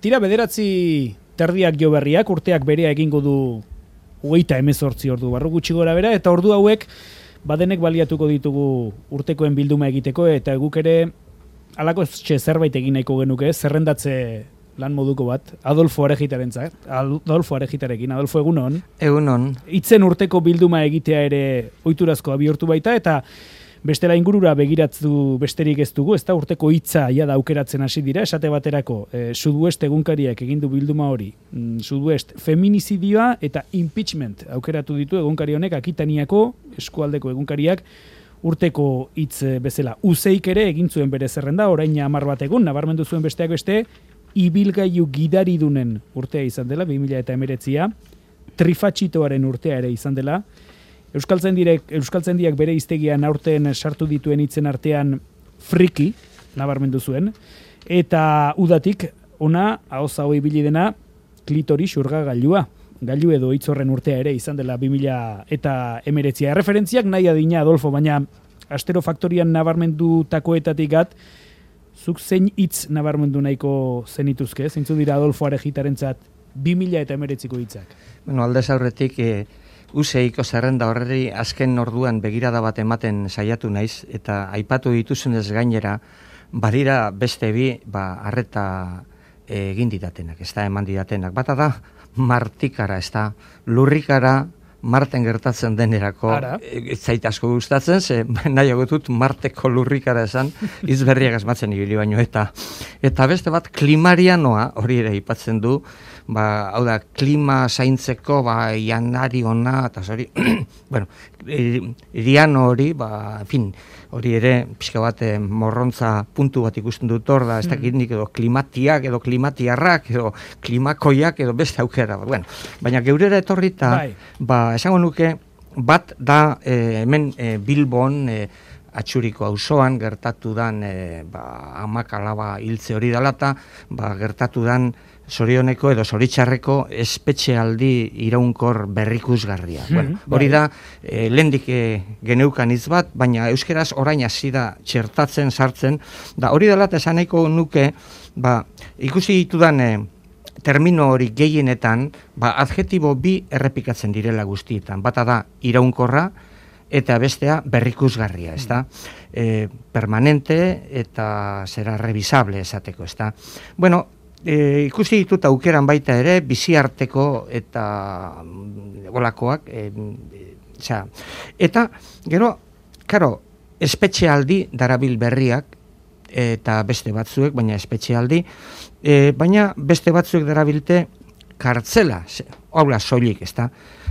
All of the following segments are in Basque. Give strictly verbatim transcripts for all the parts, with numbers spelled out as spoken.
Tira bederatzi terdiak jo berriak, urteak berea egingo du hogeita hemezortzi ordu barru gutxi gora bera, eta ordu hauek badenek baliatuko ditugu urtekoen bilduma egiteko, eta guk ere halako zerbait egin nahiko genuke, zerrendatze lan moduko bat, Adolfo Arejitarentzat, Adolfo Arejitarekin, Adolfo egunon. Egunon. Itzen urteko bilduma egitea ere ohiturazkoa bihurtu baita, eta bestela ingurura begiratzu besterik ez dugu, ez da urteko hitza ja da aukeratzen hasi dira, esate baterako, e, Sudoest egunkariak egindu bilduma hori, mm, Sudoest feminizidioa eta impeachment aukeratu ditu egunkari honek, Akitaniako eskualdeko egunkariak urteko hitz bezala. Uzeik ere egin zuen bere zerrenda, orain hamar bat egun, nabarmendu zuen besteak beste, ibilgailu gidaridunen urtea izan dela, bi mila hemeretzia, trifatxitoaren urtea ere izan dela, Euskaltzaindiak Euskaltzaindiak bere hiztegian aurten sartu dituen hitzen artean friki nabarmendu zuen, eta udatik ona ahoza hoi ibili dena klitori xurgagailua, gailu edo hitz horren urtea ere izan dela bi mila hemeretzia. Erreferentziak nahi adina, Adolfo, baina Astero Faktorian nabarmendutakoetatik gat, zuk zein hitz nabarmendu nahiko zenituzke, zeintzu dira Adolfo Arejitarentzat bi mila hemeretziko hitzak? Bueno, aldez aurretik e, Useiko zerrenda horreri azken orduan begirada bat ematen saiatu naiz, eta aipatu dituzunez gainera, badira beste bi, ba, arreta e, egin didatenak, ez da eman didatenak. Bata da, martikara, ez da, lurrikara, Marten gertatzen denerako, ez zait asko gustatzen, ze nahiago dut Marteko lurrikara esan, izberriak asmatzen ibili baino, eta eta beste bat klimarianoa, hori ere aipatzen du, ba, hau da, klima zaintzeko, ba, janari ona, eta hori, bueno, iriano hori, ba, en fin, hori ere, pixka bat, morrontza puntu bat ikusten dut hor da, ez dakit nik edo klimatiak, edo klimatiarrak, edo klimakoiak, edo beste aukera, bueno, baina geurera etorrita, ba, esango nuke, bat da e, hemen e, Bilbon, e, Atxuriko auzoan gertatu dan e, ba, amak alaba hiltze hori dalata, ba, gertatu dan zorioneko edo zoritxarreko espetxealdi iraunkor berrikusgarria. Hmm, bueno, hori da, e, lehendik e, geneukan hitz bat, baina euskeraz orain hasi da txertatzen, sartzen, da hori dalata esan nahiko nuke, ba, ikusi ditudan e, termino hori gehienetan, ba, adjetibo bi errepikatzen direla guztietan. Bata da iraunkorra eta bestea berrikusgarria, ez da? E, permanente eta zera revisable esateko, ez da? Bueno, e, ikusi ditut aukeran baita ere, biziarteko eta olakoak, e, e, eta gero, karo, espetxealdi darabil berriak, eta beste batzuek, baina espetxealdi, e, baina beste batzuek darabilte kartzela, haula soilik, ez da?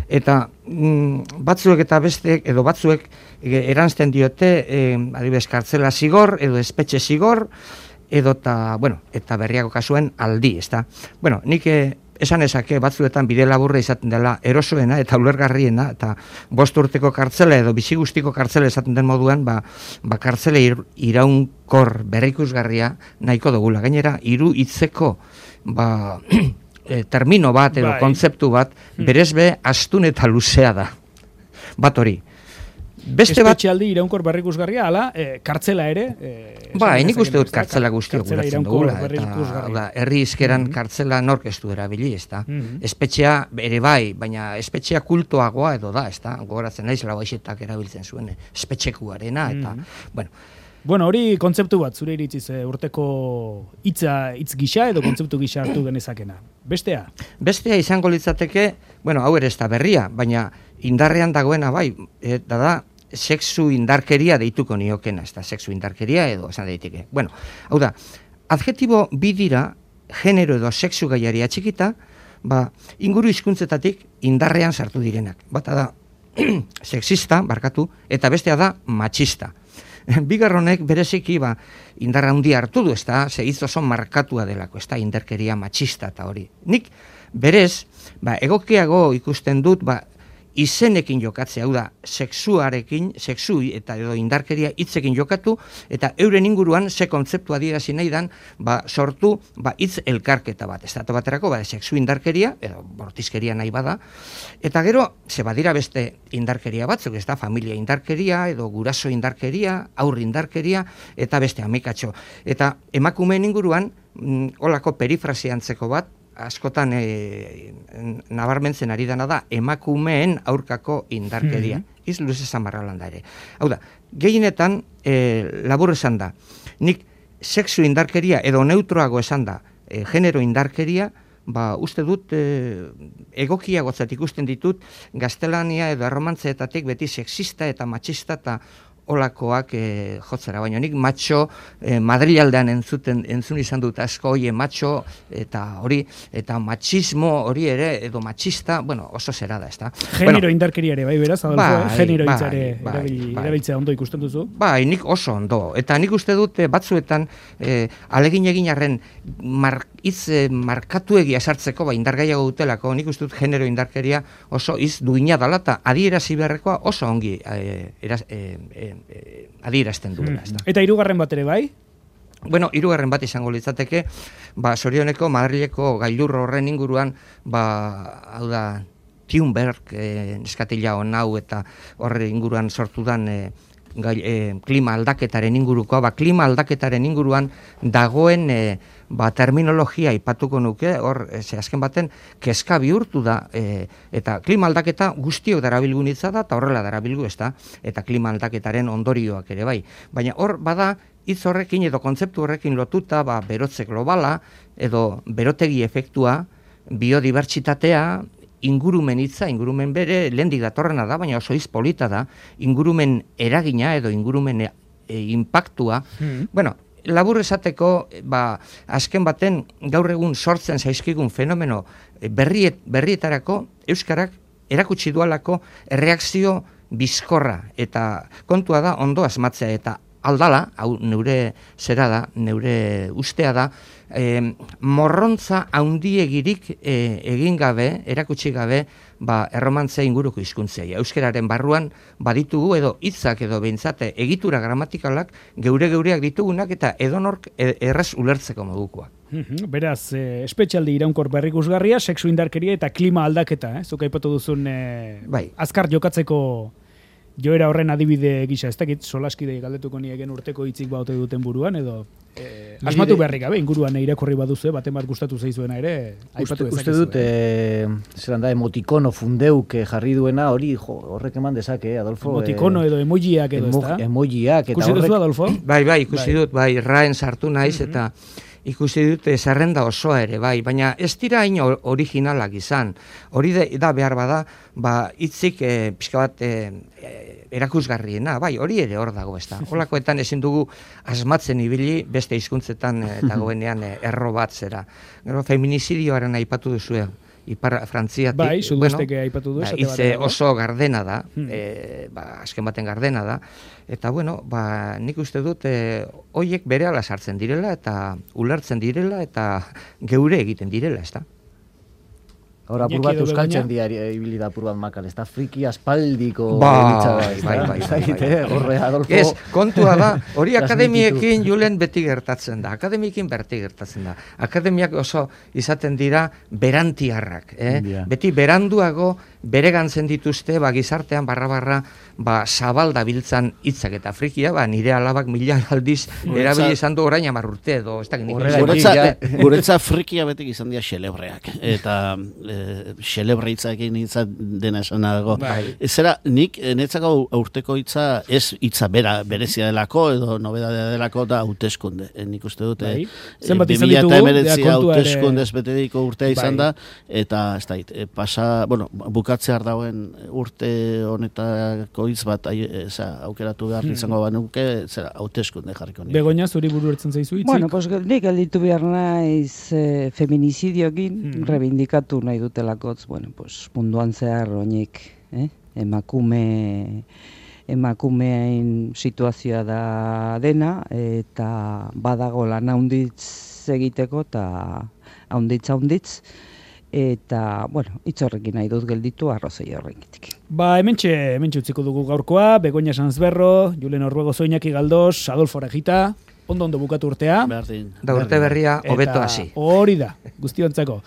Eta mm, batzuek eta besteek, edo batzuek e, eranzten diote, e, adibidez, kartzela zigor, edo espetxe zigor, edo eta, bueno, eta berriako kasuen aldi, ez da? Bueno, nik e, esan ezake batzuetan bide laburra izaten dela erosoena eta ulergarriena, eta bost urteko kartzela edo bizi guztiko kartzela esaten den moduan, ba, ba kartzela ir, iraunkor berrikusgarria nahiko dugula. Gainera, hiru hitzeko ba, e, termino bat edo bai. Kontzeptu bat, berezbe astun eta luzea da. Bat hori. Beste bat espetxealdi iraunkor berrikusgarria, ala, e, kartzela ere. E, ba, nik uste dut kartzela guztiak guratzen dugula. Eta herri izkeran mm-hmm. kartzela nork ez du erabili, ez da. Mm-hmm. Espetxea ere bai, baina espetxea kultoagoa edo da, ez da. Gogoratzen naiz labaixetak erabiltzen zuen, espetxekuarena, eta, mm-hmm. bueno. Bueno, hori kontzeptu bat, zure iritziz, urteko hitza hitz gisa edo kontzeptu gisa hartu genezakena. Bestea? Bestea izango litzateke, bueno, hau ere ez da berria, baina indarrean dagoena bai, eta da, sexu indarkeria deituko niokena, ez da, sexu indarkeria edo esan daiteke. Bueno, hau da, adjetibo bi dira, genero edo sexu gaiari atxikita, ba, inguru hizkuntzetatik indarrean sartu direnak. Bata da, sexista, barkatu, eta bestea da, matxista. Bigarronek bereziki ba, indarra handia hartu du, ez da, segiz oso markatua delako, ez da, indarkeria matxista eta hori. Nik berez, ba, egokiago ikusten dut, ba, izenekin jokatzea, hau da, sexuarekin, sexu eta edo indarkeria hitzekin jokatu, eta euren inguruan ze kontzeptu adierazi nahi dan, ba, sortu, ba, hitz elkarketa bat, estatu baterako, ba, sexu indarkeria, edo bortizkeria nahi bada, eta gero, ze badira beste indarkeria batzuk, ez da, familia indarkeria, edo guraso indarkeria, aurri indarkeria, eta beste amikatxo. Eta emakumeen inguruan, mm, olako perifrasiantzeko bat, askotan e, nabarmentzen ari dana da emakumeen aurkako indarkeria. Mm-hmm. Iz luze zamarralan da ere. Hau da, gehienetan e, labur esan da, nik sexu indarkeria edo neutroago esan da, e, genero indarkeria, ba, uste dut e, egokiagotzat ikusten ditut gaztelania edo erromantzeetatik beti sexista eta machista eta olakoak e, jotzera, baina nik matxo e, Madrilaldean entzuten entzun izan dut asko hoie matxo eta hori eta machismo hori ere edo machista, bueno, oso zera da, ezta. Genero bueno, indarkeria ere bai beraz, Adolfo, bai, eh? Genero bai, hitzare bai, erabil, bai. erabiltzea ondo ikusten duzu? Bai, nik oso ondo. Eta nik uste dut batzuetan e, alegin egin arren mar, hitz e, markatuegi asartzeko ba indargaiago dutelako, nik uste dut genero indarkeria oso iz duina dala eta adierazi beharrekoa oso ongi e, eraz, e, e, E, adierazten duela. Mm. Eta hirugarren bat ere bai? Bueno, hirugarren bat izango litzateke, ba, sorioneko Madrileko gailur horren inguruan, ba, hau da, Thunberg, e, neskatila hau eta horre inguruan sortudan e, gai, e, klima aldaketaren ingurukoa, ba, klima aldaketaren inguruan dagoen e, ba, terminologia ipatuko nuke, hor, ze azken baten, kezka bihurtu da, e, eta klima aldaketa guztiok darabilgunitza da, eta horrela darabilgu, ez da, eta klima aldaketaren ondorioak ere bai. Baina hor, bada, hitz horrekin edo kontzeptu horrekin lotuta, ba, berotze globala, edo berotegi efektua, biodibertsitatea, ingurumen hitza, ingurumen bere, lehendik datorrena da, baina oso hitz polita da, ingurumen eragina edo ingurumen e, e, impactua, mm. bueno, labur esateko, ba, azken baten gaur egun sortzen zaizkigun fenomeno berriet, berrietarako Euskarak erakutsi dualako erreakzio bizkorra eta kontua da ondo asmatzea eta aldala, hau neure zera da, neure ustea da, e, morrontza haundiegirik e, egin gabe, erakutsi gabe, ba, erromantzea inguruko hizkuntzei. Euskararen barruan baditugu edo hitzak edo behintzate egitura gramatikalak geure-geureak ditugunak eta edonork erraz ulertzeko modukoa. Beraz, eh, espetxaldi iraunkor berrikusgarria, sexu indarkeria eta klima aldaketa, eh? Zuk aipatu duzun eh, bai. Azkar jokatzeko joera horren adibide gisa, ez dakit solaskidei galdetuko niegen urteko hitzik baute duten buruan, edo eh, asmatu beharrik gabe, inguruan irakurri baduzu, baten bat gustatu zaizuena ere, aipatu dezakezu. Uste dut, eh, zelan da, emotikono fundeuk jarri duena, hori jo, horrek eman dezake, Adolfo. Emotikono edo emojiak edo, emo, ez da? Emojiak. Ikusi duzu, Adolfo? Bai, bai, ikusi bai. dut, bai, raen sartu naiz, mm-hmm. eta ikusi dute zerrenda osoa ere, bai, baina ez dira hain originalak izan. Hori da behar bada, ba, hitzik e, pixka bat e, erakusgarriena, bai, hori ere hor dago, ez da. Holakoetan ezin dugu asmatzen ibili beste hizkuntzetan e, dagoenean e, erro bat zera. Gero, feminizidioaren aipatu duzue. Ipar Frantziatik, bai, sudesteke bueno, aipatu du, hitze oso gardena da, hmm. e, ba, azken baten gardena da, eta bueno, ba, nik uste dut, e, hoiek berehala sartzen direla, eta ulertzen direla, eta geure egiten direla, ez da? Hora, apur bat euskaltzen diari ibili da apur bat makal, ez da friki aspaldiko ba, bai, bai, bai, horre, Adolfo. Ez, kontua da, hori akademiekin julen beti gertatzen da, akademiekin beti gertatzen da. Akademiak oso izaten dira berantiarrak, eh? Yeah. Beti beranduago beregantzen dituzte, ba, gizartean barra-barra, ba, zabal dabiltzan hitzak eta frikia, ba, nire alabak mila aldiz erabili izan du orain hamar urte edo, ez da, guretza frikia betik izan dira xelebreak, eta xelebre hitzakin hitza dena esan dago. Bai. Zera, nik netzako urteko hitza ez hitza bera, berezia delako edo nobedadea delako da hauteskunde. Nik uste dute bai. Zenbat izan ditugu, hauteskunde ez betediko urtea izan bai. da, eta ez da, pasa, bueno, bukatzear dauen urte honetako hitz bat eza, aukeratu behar izango hmm. banuke, zera, hauteskunde jarriko nik. Begoña, zuri buru ertzen zaizu hitzik? Bueno, pues nik gelditu behar naiz eh, feminizidiokin hmm. reivindikatu nahi dutelakotz, bueno, pues munduan zehar oinik, eh? emakume emakumeen situazioa da dena, eta badago lan haunditz egiteko, eta haunditz haunditz, eta, bueno, hitz horrekin nahi dut gelditu arrozei horrekitik. Ba, hementxe, hementxe utziko dugu gaurkoa, Begoña Sanzberro, Julen Orruego Zoinaki Galdos, Adolfo Arejita, ondo ondo bukatu urtea. Da urte berria, hobeto hasi. Hori da, guztiontzako.